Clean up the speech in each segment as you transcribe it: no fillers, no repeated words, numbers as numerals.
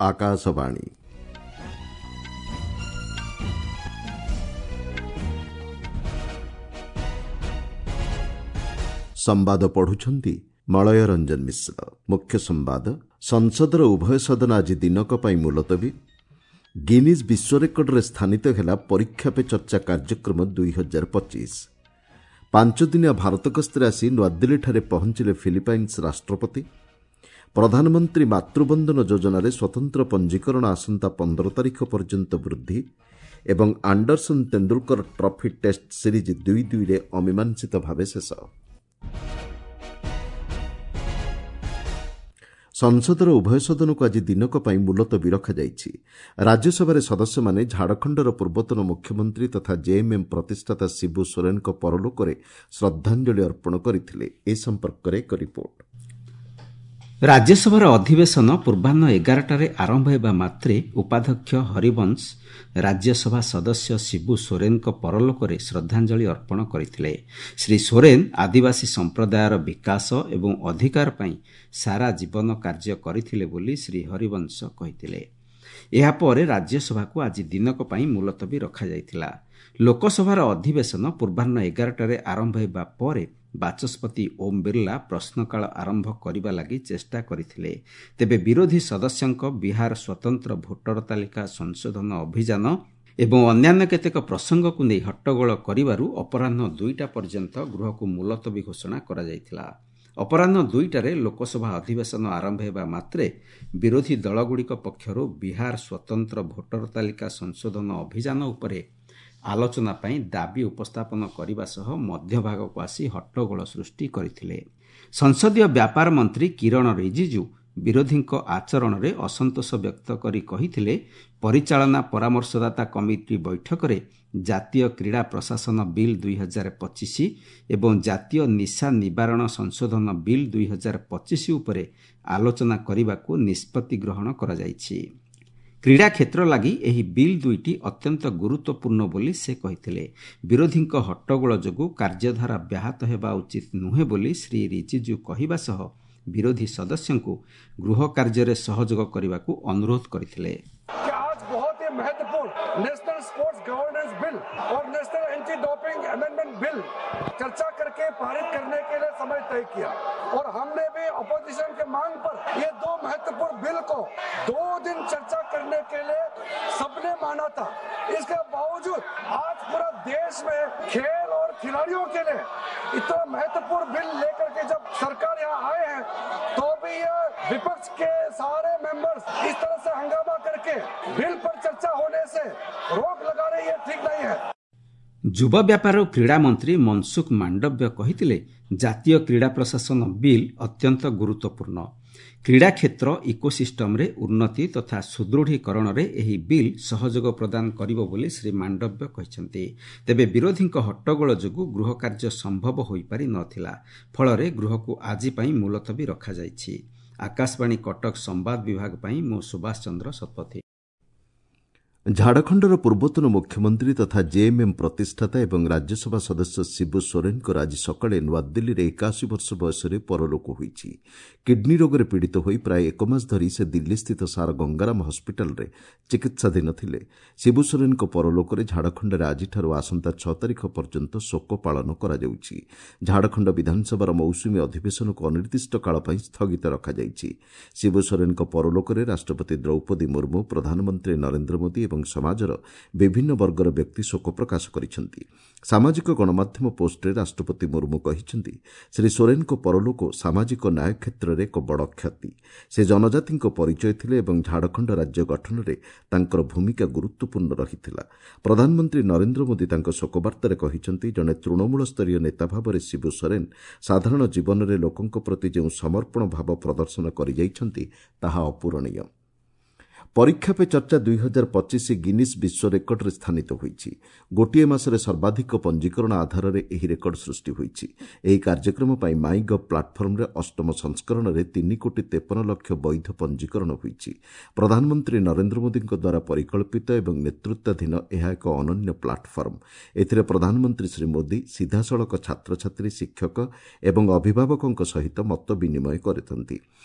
ଆକାଶବାଣୀ। ସମ୍ବାଦ ପଢୁଛନ୍ତି ମଳୟ ରଞ୍ଜନ ମିଶ୍ର। ମୁଖ୍ୟ ସମ୍ବାଦ। ସଂସଦର ଉଭୟ ସଦନ ଆଜି ଦିନକ ପାଇଁ ମୁଲତବୀ। ଗିନିଜ୍ ବିଶ୍ୱ ରେକର୍ଡରେ ସ୍ଥାନିତ ହେଲା ପରୀକ୍ଷା ପେ ଚର୍ଚ୍ଚା କାର୍ଯ୍ୟକ୍ରମ 2025। ପାଞ୍ଚଦିନିଆ ଭାରତ ଗସ୍ତରେ ଆସି ନୂଆଦିଲ୍ଲୀଠାରେ ପହଞ୍ଚିଲେ ଫିଲିପାଇନ୍ସ ରାଷ୍ଟ୍ରପତି। ପ୍ରଧାନମନ୍ତ୍ରୀ ମାତୃବନ୍ଦନ ଯୋଜନାରେ ସ୍ୱତନ୍ତ୍ର ପଞ୍ଜୀକରଣ ଆସନ୍ତା 15 ତାରିଖ ପର୍ଯ୍ୟନ୍ତ ବୃଦ୍ଧି ଏବଂ Anderson Tendulkar trophy test series 2-2ରେ ଅମୀମାଂସିତ ଭାବେ ଶେଷ। ସଂସଦର ଉଭୟ ସଦନକୁ ଆଜି ଦିନକ ପାଇଁ ମୁଲତବୀ ରଖାଯାଇଛି। ରାଜ୍ୟସଭାରେ ସଦସ୍ୟମାନେ ଝାଡ଼ଖଣ୍ଡର ପୂର୍ବତନ ମୁଖ୍ୟମନ୍ତ୍ରୀ ତଥା ଜେଏମ୍ଏମ୍ ପ୍ରତିଷ୍ଠାତା ଶିବୁ ସୋରେନଙ୍କ ପରଲୋକରେ ଶ୍ରଦ୍ଧାଞ୍ଜଳି ଅର୍ପଣ କରିଥିଲେ। ଏ ସମ୍ପର୍କରେ ଏକ ରିପୋର୍ଟ। ରାଜ୍ୟସଭାର ଅଧିବେଶନ ପୂର୍ବାହ୍ନ 11ଟାରେ ଆରମ୍ଭ ହେବା ମାତ୍ରେ ଉପାଧ୍ୟକ୍ଷ ହରିବଂଶ ରାଜ୍ୟସଭା ସଦସ୍ୟ ଶିବୁ ସୋରେନଙ୍କ ପରଲୋକରେ ଶ୍ରଦ୍ଧାଞ୍ଜଳି ଅର୍ପଣ କରିଥିଲେ। ଶ୍ରୀ ସୋରେନ ଆଦିବାସୀ ସମ୍ପ୍ରଦାୟର ବିକାଶ ଏବଂ ଅଧିକାର ପାଇଁ ସାରା ଜୀବନ କାର୍ଯ୍ୟ କରିଥିଲେ ବୋଲି ଶ୍ରୀ ହରିବଂଶ କହିଥିଲେ। ଏହାପରେ ରାଜ୍ୟସଭାକୁ ଆଜି ଦିନକ ପାଇଁ ମୁଲତବୀ ରଖାଯାଇଥିଲା। ଲୋକସଭାର ଅଧିବେଶନ ପୂର୍ବାହ୍ନ 11ଟାରେ ଆରମ୍ଭ ହେବା ପରେ ବାଚସ୍ପତି ଓମ୍ ବିର୍ଲା ପ୍ରଶ୍ନକାଳ ଆରମ୍ଭ କରିବା ଲାଗି ଚେଷ୍ଟା କରିଥିଲେ। ତେବେ ବିରୋଧୀ ସଦସ୍ୟଙ୍କ ବିହାର ସ୍ୱତନ୍ତ୍ର ଭୋଟର ତାଲିକା ସଂଶୋଧନ ଅଭିଯାନ ଏବଂ ଅନ୍ୟାନ୍ୟ କେତେକ ପ୍ରସଙ୍ଗକୁ ନେଇ ହଟ୍ଟଗୋଳ କରିବାରୁ ଅପରାହ୍ନ 2ଟା ପର୍ଯ୍ୟନ୍ତ ଗୃହକୁ ମୁଲତବୀ ଘୋଷଣା କରାଯାଇଥିଲା। ଅପରାହ୍ନ 2ଟାରେ ଲୋକସଭା ଅଧିବେଶନ ଆରମ୍ଭ ହେବା ମାତ୍ରେ ବିରୋଧୀ ଦଳଗୁଡ଼ିକ ପକ୍ଷରୁ ବିହାର ସ୍ୱତନ୍ତ୍ର ଭୋଟର ତାଲିକା ସଂଶୋଧନ ଅଭିଯାନ ଉପରେ ଆଲୋଚନା ପାଇଁ ଦାବି ଉପସ୍ଥାପନ କରିବା ସହ ମଧ୍ୟଭାଗକୁ ଆସି ହଟ୍ଟଗୋଳ ସୃଷ୍ଟି କରିଥିଲେ। ସଂସଦୀୟ ବ୍ୟାପାର ମନ୍ତ୍ରୀ କିରଣ ରିଜିଜୁ ବିରୋଧୀଙ୍କ ଆଚରଣରେ ଅସନ୍ତୋଷ ବ୍ୟକ୍ତ କରି କହିଥିଲେ, ପରିଚାଳନା ପରାମର୍ଶଦାତା କମିଟି ବୈଠକରେ ଜାତୀୟ କ୍ରୀଡ଼ା ପ୍ରଶାସନ ବିଲ୍ 2025 ଏବଂ ଜାତୀୟ ନିଶା ନିବାରଣ ସଂଶୋଧନ ବିଲ୍ 2025 ଉପରେ ଆଲୋଚନା କରିବାକୁ ନିଷ୍ପତ୍ତି ଗ୍ରହଣ କରାଯାଇଛି। କ୍ରୀଡ଼ା କ୍ଷେତ୍ର ଲାଗି ଏହି ବିଲ୍ ଦୁଇଟି ଅତ୍ୟନ୍ତ ଗୁରୁତ୍ୱପୂର୍ଣ୍ଣ ବୋଲି ସେ କହିଥିଲେ। ବିରୋଧୀଙ୍କ ହଟ୍ଟଗୋଳ ଯୋଗୁଁ କାର୍ଯ୍ୟଧାରା ବ୍ୟାହତ ହେବା ଉଚିତ ନୁହେଁ ବୋଲି ଶ୍ରୀ ରିଜିଜୁ କହିବା ସହ ବିରୋଧୀ ସଦସ୍ୟଙ୍କୁ ଗୃହ କାର୍ଯ୍ୟରେ ସହଯୋଗ କରିବାକୁ ଅନୁରୋଧ କରିଥିଲେ। नेशनल स्पोर्ट्स गवर्नेंस बिल और national anti doping amendment bill चर्चा करके पारित करने के लिए समय तय किया और हमने भी अपोजिशन के मांग पर ये दो महत्वपूर्ण बिल को 2 दिन चर्चा करने के लिए सबने माना था। इसके बावजूद आज पूरा देश में खेल और खिलाड़ियों के लिए इतना महत्वपूर्ण बिल लेकर के जब सरकार यहाँ आए हैं तो भी ये विपक्ष के सारे मेंबर्स इस तरह से हंगामा करके बिल पर चर्चा होने से रोक लगा रही है, ठीक नहीं है। ଯୁବ ବ୍ୟାପାର ଓ କ୍ରୀଡ଼ା ମନ୍ତ୍ରୀ ମନସୁଖ ମାଣ୍ଡବ୍ୟ କହିଥିଲେ, ଜାତୀୟ କ୍ରୀଡ଼ା ପ୍ରଶାସନ ବିଲ୍ ଅତ୍ୟନ୍ତ ଗୁରୁତ୍ୱପୂର୍ଣ୍ଣ। କ୍ରୀଡ଼ା କ୍ଷେତ୍ର ଇକୋସିଷ୍ଟମରେ ଉନ୍ନତି ତଥା ସୁଦୃଢ଼ୀକରଣରେ ଏହି ବିଲ୍ ସହଯୋଗ ପ୍ରଦାନ କରିବ ବୋଲି ଶ୍ରୀ ମାଣ୍ଡବ୍ୟ କହିଛନ୍ତି। ତେବେ ବିରୋଧୀଙ୍କ ହଟ୍ଟଗୋଳ ଯୋଗୁଁ ଗୃହ କାର୍ଯ୍ୟ ସମ୍ଭବ ହୋଇପାରି ନ ଥିଲା। ଫଳରେ ଗୃହକୁ ଆଜି ପାଇଁ ମୁଲତବୀ ରଖାଯାଇଛି। ଆକାଶବାଣୀ କଟକ ସମ୍ବାଦ ବିଭାଗ ପାଇଁ ମୁଁ ସୁଭାଷ ଚନ୍ଦ୍ର ଶତପଥୀ। ଝାଡ଼ଖଣ୍ଡର ପୂର୍ବତନ ମୁଖ୍ୟମନ୍ତ୍ରୀ ତଥା ଜେଏମ୍ଏମ୍ ପ୍ରତିଷ୍ଠାତା ଏବଂ ରାଜ୍ୟସଭା ସଦସ୍ୟ ଶିବୁ ସୋରେନଙ୍କର ଆଜି ସକାଳେ ନୂଆଦିଲ୍ଲୀରେ 81 ବର୍ଷ ବୟସରେ ପରଲୋକ ହୋଇଛି। କିଡ୍ନୀ ରୋଗରେ ପୀଡ଼ିତ ହୋଇ ପ୍ରାୟ ଏକ ମାସ ଧରି ସେ ଦିଲ୍ଲୀସ୍ଥିତ ସାର ଗଙ୍ଗାରାମ ହସ୍ପିଟାଲରେ ଚିକିତ୍ସାଧୀନ ଥିଲେ। ଶିବୁ ସୋରେନଙ୍କ ପରଲୋକରେ ଝାଡ଼ଖଣ୍ଡରେ ଆଜିଠାରୁ ଆସନ୍ତା 6 ତାରିଖ ପର୍ଯ୍ୟନ୍ତ ଶୋକ ପାଳନ କରାଯାଉଛି। ଝାଡ଼ଖଣ୍ଡ ବିଧାନସଭାର ମୌସୁମୀ ଅଧିବେଶନକୁ ଅନିର୍ଦ୍ଦିଷ୍ଟ କାଳ ପାଇଁ ସ୍ଥଗିତ ରଖାଯାଇଛି। ଶିବୁ ସୋରେନଙ୍କ ପରଲୋକରେ ରାଷ୍ଟ୍ରପତି ଦ୍ରୌପଦୀ ମୁର୍ମୁ, ପ୍ରଧାନମନ୍ତ୍ରୀ ନରେନ୍ଦ୍ର ମୋଦି ଏବଂ ସମାଜର ବିଭିନ୍ନ ବର୍ଗର ବ୍ୟକ୍ତି ଶୋକ ପ୍ରକାଶ କରିଛନ୍ତି। ସାମାଜିକ ଗଣମାଧ୍ୟମ ପୋଷ୍ଟରେ ରାଷ୍ଟ୍ରପତି ମୁର୍ମୁ କହିଛନ୍ତି, ଶ୍ରୀ ସୋରେନଙ୍କ ପରଲୋକ ସାମାଜିକ ନ୍ୟାୟ କ୍ଷେତ୍ରରେ ଏକ ବଡ଼ କ୍ଷତି। ସେ ଜନଜାତିଙ୍କ ପରିଚୟ ଥିଲେ ଏବଂ ଝାଡ଼ଖଣ୍ଡ ରାଜ୍ୟ ଗଠନରେ ତାଙ୍କର ଭୂମିକା ଗୁରୁତ୍ୱପୂର୍ଣ୍ଣ ରହିଥିଲା। ପ୍ରଧାନମନ୍ତ୍ରୀ ନରେନ୍ଦ୍ର ମୋଦି ତାଙ୍କ ଶୋକବାର୍ତ୍ତାରେ କହିଛନ୍ତି, ଜଣେ ତୃଣମୂଳ ସ୍ତରୀୟ ନେତା ଭାବରେ ଶିବୁ ସୋରେନ ସାଧାରଣ ଜୀବନରେ ଲୋକଙ୍କ ପ୍ରତି ଯେଉଁ ସମର୍ପଣ ଭାବ ପ୍ରଦର୍ଶନ କରିଯାଇଛନ୍ତି ତାହା ଅପୂରଣୀୟ। ପରୀକ୍ଷା ପେ ଚର୍ଚ୍ଚା 2025 ଗିନିସ୍ ବିଶ୍ୱ ରେକର୍ଡରେ ସ୍ଥାନିତ ହୋଇଛି। ଗୋଟିଏ ମାସରେ ସର୍ବାଧିକ ପଞ୍ଜୀକରଣ ଆଧାରରେ ଏହି ରେକର୍ଡ ସୃଷ୍ଟି ହୋଇଛି। ଏହି କାର୍ଯ୍ୟକ୍ରମ ପାଇଁ ମାଇ ଗଭ୍ ପ୍ଲାଟଫର୍ମରେ ଅଷ୍ଟମ ସଂସ୍କରଣରେ 3 କୋଟି 53 ଲକ୍ଷ ବୈଧ ପଞ୍ଜୀକରଣ ହୋଇଛି। ପ୍ରଧାନମନ୍ତ୍ରୀ ନରେନ୍ଦ୍ର ମୋଦିଙ୍କ ଦ୍ୱାରା ପରିକଳ୍ପିତ ଏବଂ ନେତୃତ୍ୱାଧୀନ ଏହା ଏକ ଅନନ୍ୟ ପ୍ଲାଟଫର୍ମ। ଏଥିରେ ପ୍ରଧାନମନ୍ତ୍ରୀ ଶ୍ରୀ ମୋଦି ସିଧାସଳଖ ଛାତ୍ରଛାତ୍ରୀ, ଶିକ୍ଷକ ଏବଂ ଅଭିଭାବକଙ୍କ ସହିତ ମତ ବିନିମୟ କରିଥାନ୍ତି।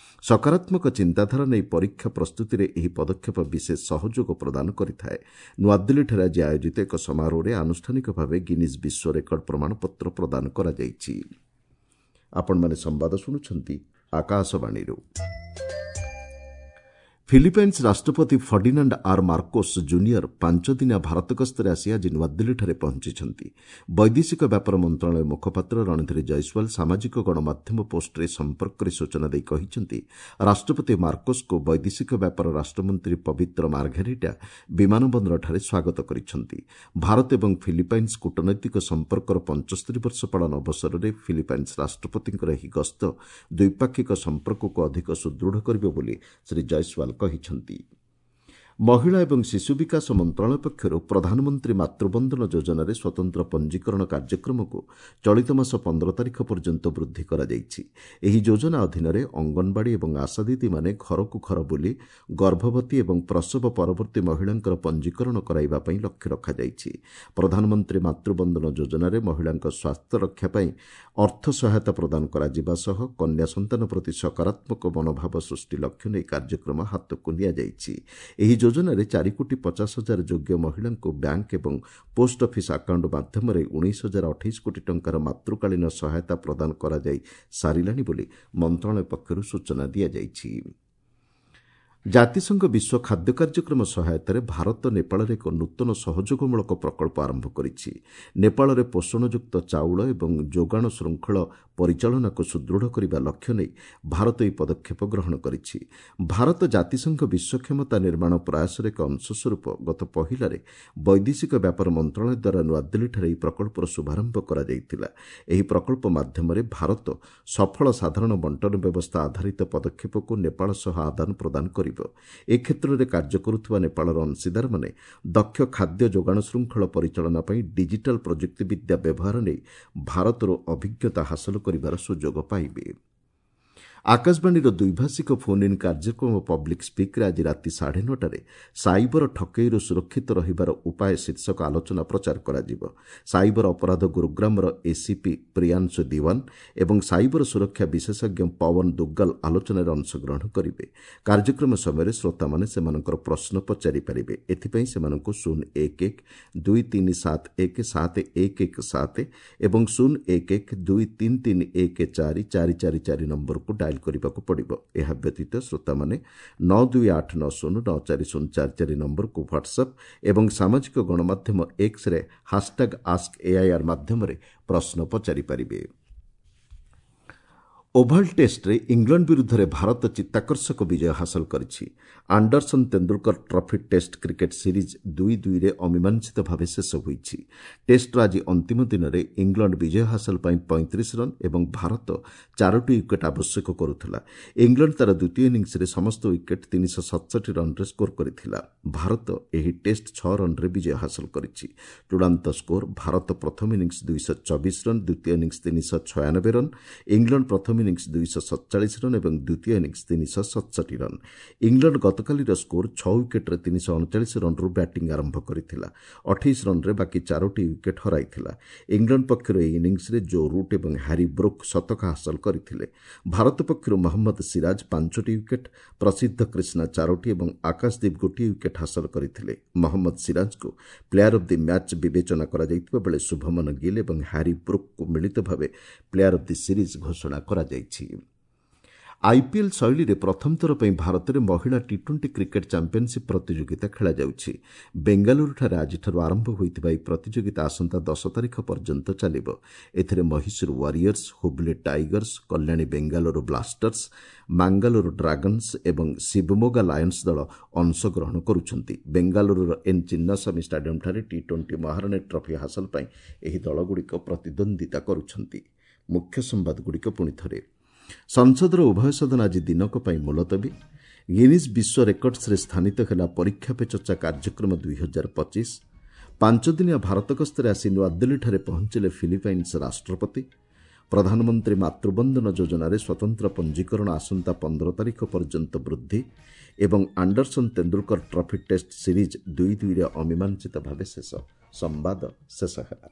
ସକାରାତ୍ମକ ଚିନ୍ତାଧାରା ନେଇ ପରୀକ୍ଷା ପ୍ରସ୍ତୁତିରେ ଏହି ପଦକ୍ଷେପ ବିଶେଷ ସହଯୋଗ ପ୍ରଦାନ କରିଥାଏ। ନୂଆଦିଲ୍ଲୀଠାରେ ଆଜି ଆୟୋଜିତ ଏକ ସମାରୋହରେ ଆନୁଷ୍ଠାନିକ ଭାବେ ଗିନିଜ୍ ବିଶ୍ୱ ରେକର୍ଡ ପ୍ରମାଣପତ୍ର ପ୍ରଦାନ କରାଯାଇଛି। ଆପଣମାନେ ସମ୍ବାଦ ଶୁଣୁଛନ୍ତି ଆକାଶବାଣୀରୁ। ଫିଲିପାଇନ୍ସ ରାଷ୍ଟ୍ରପତି ଫର୍ଡିନାଣ୍ଡ ଆର୍ ମାର୍କୋସ୍ ଜୁନିୟର 5 ଦିନିଆ ଭାରତ ଗସ୍ତରେ ଆସି ଆଜି ନୂଆଦିଲ୍ଲୀଠାରେ ପହଞ୍ଚିଛନ୍ତି। ବୈଦେଶିକ ବ୍ୟାପାର ମନ୍ତ୍ରଣାଳୟ ମୁଖପାତ୍ର ରଣଧୀର ଜୟସ୍ୱାଲ ସାମାଜିକ ଗଣମାଧ୍ୟମ ପୋଷ୍ଟରେ ଏ ସମ୍ପର୍କରେ ସୂଚନା ଦେଇ କହିଛନ୍ତି, ରାଷ୍ଟ୍ରପତି ମାର୍କୋସ୍ଙ୍କୁ ବୈଦେଶିକ ବ୍ୟାପାର ରାଷ୍ଟ୍ରମନ୍ତ୍ରୀ ପବିତ୍ର ମାର୍ଘେରିଟା ବିମାନ ବନ୍ଦରଠାରେ ସ୍ୱାଗତ କରିଛନ୍ତି। ଭାରତ ଏବଂ ଫିଲିପାଇନ୍ସ କୂଟନୈତିକ ସମ୍ପର୍କର 75 ବର୍ଷ ପାଳନ ଅବସରରେ ଫିଲିପାଇନ୍ସ ରାଷ୍ଟ୍ରପତିଙ୍କର ଏହି ଗସ୍ତ ଦ୍ୱିପାକ୍ଷିକ ସମ୍ପର୍କକୁ ଅଧିକ ସୁଦୃଢ଼ କରିବ ବୋଲି ଶ୍ରୀ ଜୟସ୍ୱାଲ କହିଛନ୍ତି। ମହିଳା ଏବଂ ଶିଶୁ ବିକାଶ ମନ୍ତ୍ରଣାଳୟ ପକ୍ଷରୁ ପ୍ରଧାନମନ୍ତ୍ରୀ ମାତୃବନ୍ଦନ ଯୋଜନାରେ ସ୍ୱତନ୍ତ୍ର ପଞ୍ଜୀକରଣ କାର୍ଯ୍ୟକ୍ରମକୁ ଚଳିତ ମାସ 15 ତାରିଖ ପର୍ଯ୍ୟନ୍ତ ବୃଦ୍ଧି କରାଯାଇଛି। ଏହି ଯୋଜନା ଅଧୀନରେ ଅଙ୍ଗନବାଡ଼ି ଏବଂ ଆଶା ଦିଦିମାନେ ଘରକୁ ଘର ବୁଲି ଗର୍ଭବତୀ ଏବଂ ପ୍ରସବ ପରବର୍ତ୍ତୀ ମହିଳାଙ୍କର ପଞ୍ଜୀକରଣ କରାଇବା ପାଇଁ ଲକ୍ଷ୍ୟ ରଖାଯାଇଛି। ପ୍ରଧାନମନ୍ତ୍ରୀ ମାତୃବନ୍ଦନ ଯୋଜନାରେ ମହିଳାଙ୍କ ସ୍ୱାସ୍ଥ୍ୟ ରକ୍ଷା ପାଇଁ ଅର୍ଥ ସହାୟତା ପ୍ରଦାନ କରାଯିବା ସହ କନ୍ୟା ସନ୍ତାନ ପ୍ରତି ସକାରାତ୍ମକ ମନୋଭାବ ସୃଷ୍ଟି ଲକ୍ଷ୍ୟ ନେଇ କାର୍ଯ୍ୟକ୍ରମ ହାତକୁ ନିଆଯାଇଛି। ଏହି ଯୋଜନାରେ 4 କୋଟି 50 ହଜାର ଯୋଗ୍ୟ ମହିଳାଙ୍କୁ ବ୍ୟାଙ୍କ ଏବଂ ପୋଷ୍ଟ ଅଫିସ୍ ଆକାଉଣ୍ଟ ମାଧ୍ୟମରେ 19,028 କୋଟି ଟଙ୍କାର ମାତୃକାଳୀନ ସହାୟତା ପ୍ରଦାନ କରାଯାଇ ସାରିଲାଣି ବୋଲି ମନ୍ତ୍ରଣାଳୟ ପକ୍ଷରୁ ସୂଚନା ଦିଆଯାଇଛି। ଜାତିସଂଘ ବିଶ୍ୱ ଖାଦ୍ୟ କାର୍ଯ୍ୟକ୍ରମ ସହାୟତାରେ ଭାରତ ନେପାଳରେ ଏକ ନୂତନ ସହଯୋଗମୂଳକ ପ୍ରକଳ୍ପ ଆରମ୍ଭ କରିଛି। ନେପାଳରେ ପୋଷଣଯୁକ୍ତ ଚାଉଳ ଏବଂ ଯୋଗାଣ ଶୃଙ୍ଖଳ ପରିଚାଳନାକୁ ସୁଦୃଢ଼ କରିବା ଲକ୍ଷ୍ୟ ନେଇ ଭାରତ ଏହି ପଦକ୍ଷେପ ଗ୍ରହଣ କରିଛି। ଭାରତ ଜାତିସଂଘ ବିଶ୍ୱ କ୍ଷମତା ନିର୍ମାଣ ପ୍ରୟାସର ଏକ ଅଂଶସ୍ୱରୂପ ଗତ ପହିଲାରେ ବୈଦେଶିକ ବ୍ୟାପାର ମନ୍ତ୍ରଣାଳୟ ଦ୍ୱାରା ନୂଆଦିଲ୍ଲୀଠାରେ ଏହି ପ୍ରକଳ୍ପର ଶୁଭାରମ୍ଭ କରାଯାଇଥିଲା। ଏହି ପ୍ରକଳ୍ପ ମାଧ୍ୟମରେ ଭାରତ ସଫଳ ସାଧାରଣ ବଣ୍ଟନ ବ୍ୟବସ୍ଥା ଆଧାରିତ ପଦକ୍ଷେପକୁ ନେପାଳ ସହ ଆଦାନ ପ୍ରଦାନ କରିବ। ଏ କ୍ଷେତ୍ରରେ କାର୍ଯ୍ୟ କରୁଥିବା ନେପାଳର ଅଂଶୀଦାରମାନେ ଦକ୍ଷ ଖାଦ୍ୟ ଯୋଗାଣ ଶୃଙ୍ଖଳ ପରିଚାଳନା ପାଇଁ ଡିଜିଟାଲ ପ୍ରଯୁକ୍ତିବିଦ୍ୟା ବ୍ୟବହାର ନେଇ ଭାରତରୁ ଅଭିଜ୍ଞତା ହାସଲ କରିବାର ସୁଯୋଗ ପାଇବେ। ଆକାଶବାଣୀର ଦ୍ୱିଭାଷିକ ଫୋନ୍ ଇନ୍ କାର୍ଯ୍ୟକ୍ରମ ପବ୍ଲିକ୍ ସ୍ପିକ୍ରେ ଆଜି ରାତି 9:30ରେ ସାଇବର ଠକେଇରୁ ସୁରକ୍ଷିତ ରହିବାର ଉପାୟ ଶୀର୍ଷକ ଆଲୋଚନା ପ୍ରଚାର କରାଯିବ। ସାଇବର ଅପରାଧ ଗୁରୁଗ୍ରାମର ଏସିପି ପ୍ରିୟାଂଶୁ ଦିୱାନ ଏବଂ ସାଇବର ସୁରକ୍ଷା ବିଶେଷଜ୍ଞ ପୱନ ଦୁଗ୍ଗଲ ଆଲୋଚନାରେ ଅଂଶଗ୍ରହଣ କରିବେ। କାର୍ଯ୍ୟକ୍ରମ ସମୟରେ ଶ୍ରୋତାମାନେ ସେମାନଙ୍କର ପ୍ରଶ୍ନ ପଚାରି ପାରିବେ। ଏଥିପାଇଁ ସେମାନଙ୍କୁ 011 2371 7117 ଏବଂ 011 2331 4444 ନମ୍ବରକୁ ଡାଏଲ୍ କରିବାକୁ ପଡ଼ିବ। ଏହା ବ୍ୟତୀତ ଶ୍ରୋତାମାନେ 92890 94044 ନମ୍ବରକୁ ହ୍ୱାଟ୍ସଆପ୍ ଏବଂ ସାମାଜିକ ଗଣମାଧ୍ୟମ ଏକ୍ସରେ ହାସ୍ଟ୍ୟାଗ୍ ଆସ୍କ ଏଆଇଆର୍ ମାଧ୍ୟମରେ ପ୍ରଶ୍ନ ପଚାରିପାରିବେ। ଓଭାଲ୍ ଟେଷ୍ଟରେ ଇଂଲଣ୍ଡ ବିରୁଦ୍ଧରେ ଭାରତ ଚିତ୍ତାକର୍ଷକ ବିଜୟ ହାସଲ କରିଛି। Anderson Tendulkar trophy test cricket series 2-2ରେ ଅମୀମାଂସିତ ଭାବେ ଶେଷ ହୋଇଛି। ଟେଷ୍ଟର ଆଜି ଅନ୍ତିମ ଦିନରେ ଇଂଲଣ୍ଡ ବିଜୟ ହାସଲ ପାଇଁ 35 ରନ୍ ଏବଂ ଭାରତ ଚାରୋଟି ୱିକେଟ୍ ଆବଶ୍ୟକ କରୁଥିଲା। ଇଂଲଣ୍ଡ ତା'ର ଦ୍ୱିତୀୟ ଇନିଂସରେ ସମସ୍ତ ୱିକେଟ୍ 367 ରନ୍ରେ ସ୍କୋର କରିଥିଲା। ଭାରତ ଏହି ଟେଷ୍ଟ 6 ରନ୍ରେ ବିଜୟ ହାସଲ କରିଛି। ଚୂଡ଼ାନ୍ତ ସ୍କୋର: ଭାରତ ପ୍ରଥମ ଇନିଂସ 224 ରନ୍, ଦ୍ୱିତୀୟ ଇନିଂସ 396 ରନ୍। ଇଂଲଣ୍ଡ ପ୍ରଥମ ଇନିଂସ 247 ରନ୍ ଏବଂ ଦ୍ୱିତୀୟ ଇନିଂସ 367 ରନ୍। ଇଂଲଣ୍ଡ ଗତକାଲିର ସ୍କୋର 6 ୱିକେଟ୍ରେ 339 ରନ୍ରୁ ବ୍ୟାଟିଂ ଆରମ୍ଭ କରିଥିଲା। 28 ରନ୍ରେ ବାକି ଚାରୋଟି ୱିକେଟ୍ ହରାଇଥିଲା। ଇଂଲଣ୍ଡ ପକ୍ଷରୁ ଏହି ଇନିଂସରେ ଜୋ ରୁଟ୍ ଏବଂ ହ୍ୟାରି ବ୍ରୁକ୍ ଶତକ ହାସଲ କରିଥିଲେ। ଭାରତ ପକ୍ଷରୁ ମହମ୍ମଦ ସିରାଜ ପାଞ୍ଚଟି ୱିକେଟ୍, ପ୍ରସିଦ୍ଧ କ୍ରିଷ୍ଣା ଚାରୋଟି ଏବଂ ଆକାଶଦୀପ ଗୋଟିଏ ୱିକେଟ୍ ହାସଲ କରିଥିଲେ। ମହମ୍ମଦ ସିରାଜଙ୍କୁ ପ୍ଲେୟାର ଅଫ୍ the match ବିବେଚନା କରାଯାଇଥିବା ବେଳେ ଶୁଭମନ ଗିଲ୍ ଏବଂ ହ୍ୟାରି ବ୍ରୁକ୍ଙ୍କୁ ମିଳିତ ଭାବେ ପ୍ଲେୟାର ଅଫ୍ the series ଘୋଷଣା କରାଯାଇଛି। ଆଇପିଏଲ୍ ଶୈଳୀରେ ପ୍ରଥମ ଥର ପାଇଁ ଭାରତରେ ମହିଳା ଟି-20 କ୍ରିକେଟ୍ ଚାମ୍ପିୟନସିପ୍ ପ୍ରତିଯୋଗିତା ଖେଳାଯାଉଛି। ବେଙ୍ଗାଲୁରୁଠାରେ ଆଜିଠାରୁ ଆରମ୍ଭ ହୋଇଥିବା ଏହି ପ୍ରତିଯୋଗିତା ଆସନ୍ତା 10 ତାରିଖ ପର୍ଯ୍ୟନ୍ତ ଚାଲିବ। ଏଥିରେ Mysuru Warriors, Hubli Tigers, Kalyani Bengaluru Blasters, Mangaluru Dragons ଏବଂ ଶିବମୋଗା ଲାୟନ୍ସ ଦଳ ଅଂଶଗ୍ରହଣ କରୁଛନ୍ତି। ବେଙ୍ଗାଲୁରୁର ଏନ୍ ଚିନ୍ନାସ୍ୱାମୀ ଷ୍ଟାଡିୟମ୍ଠାରେ ଟି-20 ମହାରାଣୀ ଟ୍ରଫି ହାସଲ ପାଇଁ ଏହି ଦଳଗୁଡ଼ିକ ପ୍ରତିଦ୍ୱନ୍ଦ୍ୱିତା କରୁଛନ୍ତି। ମୁଖ୍ୟ ସମ୍ବାଦଗୁଡ଼ିକ ପୁଣି ଥରେ। ସଂସଦର ଉଭୟ ସଦନ ଆଜି ଦିନକ ପାଇଁ ମୁଲତବୀ। ଗିନିଜ୍ ବିଶ୍ୱ ରେକର୍ଡସରେ ସ୍ଥାନିତ ହେଲା ପରୀକ୍ଷା ପେ ଚର୍ଚ୍ଚା କାର୍ଯ୍ୟକ୍ରମ 2025। 5 ଦିନିଆ ଭାରତ ଗସ୍ତରେ ଆସି ନୂଆଦିଲ୍ଲୀଠାରେ ପହଞ୍ଚିଲେ ଫିଲିପାଇନ୍ସ ରାଷ୍ଟ୍ରପତି। ପ୍ରଧାନମନ୍ତ୍ରୀ ମାତୃବନ୍ଦନା ଯୋଜନାରେ ସ୍ୱତନ୍ତ୍ର ପଞ୍ଜୀକରଣ ଆସନ୍ତା 15 ତାରିଖ ପର୍ଯ୍ୟନ୍ତ ବୃଦ୍ଧି ଏବଂ Anderson Tendulkar trophy test series 2-2ରେ ଅମୀମାଂସିତ ଭାବେ ଶେଷ। ସମ୍ବାଦ ଶେଷ ହେଲା।